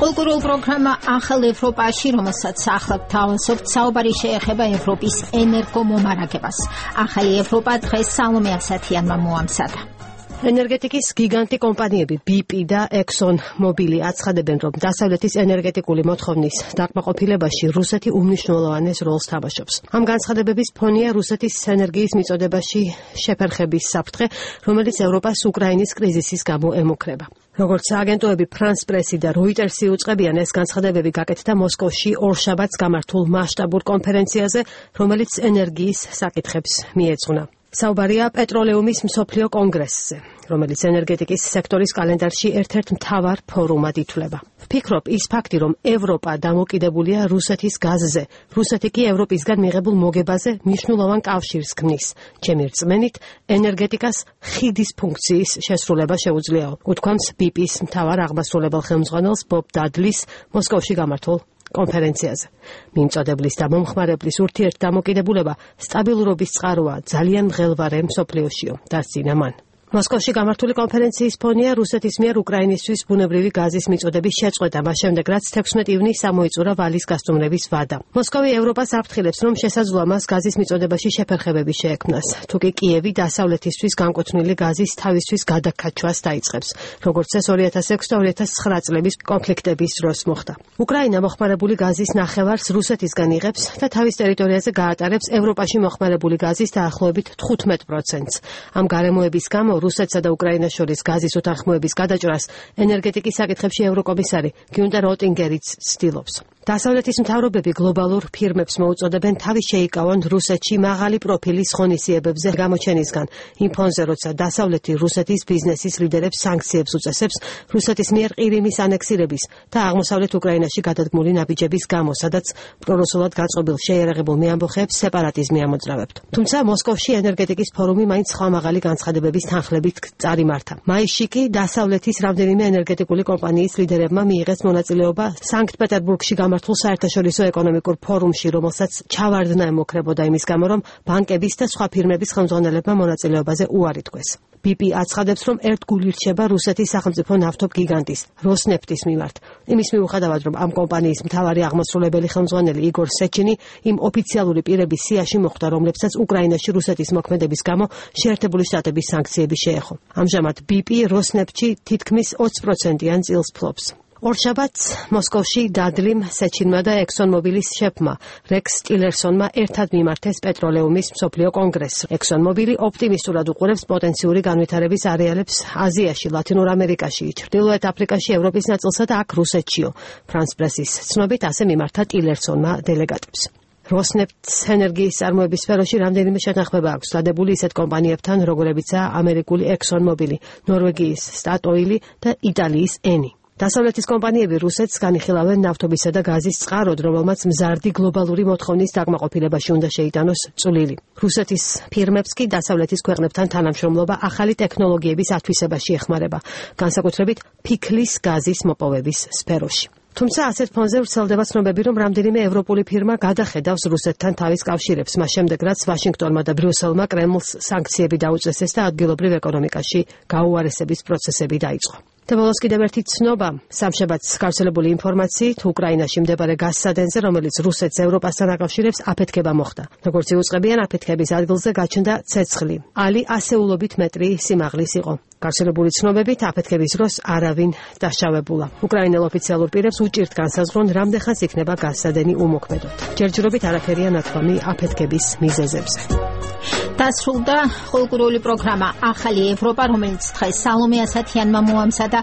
კულტურულ პროგრამა ახალ ევროპაში, რომელსაც ახლად თავისუფლად საუბარი შეეხება ევროპის ენერგომომარაგებას. ახალი ევროპა დღეს სალომე ასათიანმა მოამზადა. ენერგეტიკის გიგანტი კომპანიები BP და Exxon Mobil აცხადებენ, რომ დასავლეთის ენერგეტიკული მოთხოვნის დაკმაყოფილებაში რუსეთი უმნიშვნელოვანეს როლს თამაშობს. ამ განცხადებების ფონია რუსეთის ენერგიის მიწოდებაში შეფერხების საფრთხე, რომელიც ევროპას უკრაინის კრიზისის გამო ემუქრება. როგორც აგენტოები France Press და Reuters უწყებიან, ეს განცხადებები გაკეთდა მოსკოვში ორშაბათს გამართულ მასშტაბურ კონფერენციაზე, რომელიც ენერგიის საკითხებს მიეძღვნა. საუბარია პეტროლეუმის მსოფლიო კონგრესზე, რომელიც ენერგეტიკის სექტორის კალენდარში ერთ-ერთ მთავარ ფორუმად ითვლება. ვფიქრობ, ის ფაქტი, რომ ევროპა დამოკიდებულია რუსეთის გაზზე, რუსეთი კი ევროპისგან მიღებულ მოგებაზე მნიშვნელოვან კავშირს ქმნის. ჩემი რწმენით, ენერგეტიკას ხიდის ფუნქციის შესრულება შეუძლიაო, უთქვამს BP-ის მთავარ აღმასრულებელ ხელმძღვანელს ბობ დადლის მოსკოვში გამართულ კონფერენციაზე. მიმწოდებლის და მომხმარებლის ურთიერთდამოკიდებულება სტაბილურობის წყაროა, ძალიან მღელვარე მსოფლიოშიო, დასძინა მან. მოსკოვში გამართული კონფერენციის ფონია რუსეთის მიერ უკრაინისთვის ბუნებრივი გაზის მიწოდების შეწყვეტა, მას შემდეგ რაც 16 ივნისს გამოიწურა ვალის გასტუმრების ვადა. მოსკოვი ევროპას აფრთხილებს, რომ შესაძლოა მას გაზის მიწოდებაში შეფერხებები შეექმნას, თუკი კიევი დასავლეთისთვის განკუთვნილი გაზის თავისთვის გადაკაჩვას დაიწყებს, როგორც ეს 2006-2009 წლების კონფლიქტების დროს მოხდა. უკრაინა მოხმარებული გაზის ნახევარს რუსეთისგან იღებს და თავის ტერიტორიაზე გაატარებს ევროპაში მოხმარებული გაზის დაახლოებით 15%-ს. ამ გარემოების გამო რუსეთსა და უკრაინას შორის გაზის უთანხმოების გადაჭრას ენერგეტიკის საკითხებში ევროკომისარი გიუნტერ ოტინგერიც ცდილობს. დასავლეთის მთავრობები გლობალურ ფირმებს მოუწოდებენ თავის შეიკავონ რუსეთში მაღალი პროფილის ღონისძიებებზე გამოჩენისგან. იმ ფონზე, როცა დასავლეთი რუსეთის ბიზნესის ლიდერებს სანქციებს უწესებს რუსეთის მიერ ყირიმის ანექსირების და აღმოსავლეთ უკრაინაში გადადგმული ნაბიჯების გამო, სადაც პრორუსულად განწყობილ შეიარაღებულ მეამბოხეებს სეპარატიზმი ამოძრავებთ. თუმცა მოსკოვში ენერგეტიკის ფორუმი მაინც სხვა მაღალი განცხადებების თანხლებით წარიმართა. მაისში კი დასავლეთის რამდენიმე ენერგეტიკული კომპანიის ლიდერებმა მიიღეს მონაწილეობა სანქტ-პეტერბურგში გამართულ საერთაშორისო ეკონომიკურ ფორუმში, რომელსაც ჩავარდნა ემუქრებოდა იმის გამო, რომ ბანკების და სხვა ფირმების ხელმძღვანელებმა მონაწილეობაზე უარი თქვეს. BP აცხადებს, რომ ერთგული რჩება რუსეთის სახელმწიფო ნავთობ გიგანტის როსნეფტის მიმართ. იმის მიუხედავად, რომ ამ კომპანიის მთავარი აღმასრულებელი ხელმძღვანელი იგორ სეჩინი იმ ოფიციალური პირების სიაში მოხვდა, რომლებსაც უკრაინაში რუსეთის მოქმედების გამო შეერთებული შტატების სანქციები შეეხო. ამჟამად BP როსნეფტში თითქმის 20%-იან წილს ფლობს. ორშაბათს მოსკოვში დადლიმ, სეჩინმა და Exxon Mobilis შეფმა რექს ტილერსონმა ერთად მიმართეს პეტროლეუმის მსოფლიო კონგრესს. Exxon Mobil ოპტიმისტურად უყურებს პოტენციური განვითარების არეალებს აზიაში, ლათინურ ამერიკაში, ჩრდილოეთ აფრიკაში, ევროპის ნაწილსა და აქ რუსეთშიო. France Press-ის ცნობით ასე მიმართა ტილერსონმა დელეგატებს. როსნეფტს ენერგიის წარმოების სფეროში რამდენიმე შეთანხმება აქვს დადებული ისეთ კომპანიებთან, როგორებიცაა ამერიკული Exxon Mobil, ნორვეგიის Statoil და იტალიის Eni. დასავლეთის კომპანიები რუსეთს განიხილავენ ნავთობისა და გაზის წყაროდ, რომელმაც მზარდი გლობალური მოთხოვნის დაკმაყოფილებაში უნდა შეიტანოს წვლილი. რუსეთის ფირმებს კი დასავლეთის ქვეყნებთან თანამშრომლობა ახალი ტექნოლოგიების ათვისებაში ეხმარება, განსაკუთრებით ფიქლის გაზის მოპოვების სფეროში. თუმცა ასეთ ფონზე ვრცელდება ცნობები, რომ რამდენიმე ევროპული ფირმა გადახედავს რუსეთთან თავის კავშირებს, მას შემდეგ რაც ვაშინგტონმა და ბრიუსელმა კრემლს სანქციები დაუწესეს და ადგილობრივ ეკონომიკაში გაუარესების პროცესები დაიწყო. და ბოლოს კიდევ ერთი ცნობა, სამშაბათს გავრცელებული ინფორმაციით, უკრაინაში მდებარე გაზსადენზე, რომელიც რუსეთს ევროპასთან აკავშირებს, აფეთქება მოხდა. როგორც იუწყებიან, აფეთქების ადგილზე გაჩნდა ცეცხლი. ალი ასეულობით მეტრი სიმაღლის იყო. გავრცელებული ცნობებით, აფეთქების დროს არავინ დაშავებულა. უკრაინელ ოფიციალურ პირებს უჭირთ განსაზღვრონ, რამდენხანს იქნება გაზსადენი უმოქმედოდ. ჯერჯერობით არაფერია ნათქვამი აფეთქების მიზეზებზე. დასრულდა კულტურული პროგრამა ახალი ევროპა, რომელიც დღეს სალომე ასათიანმა მოამზადა.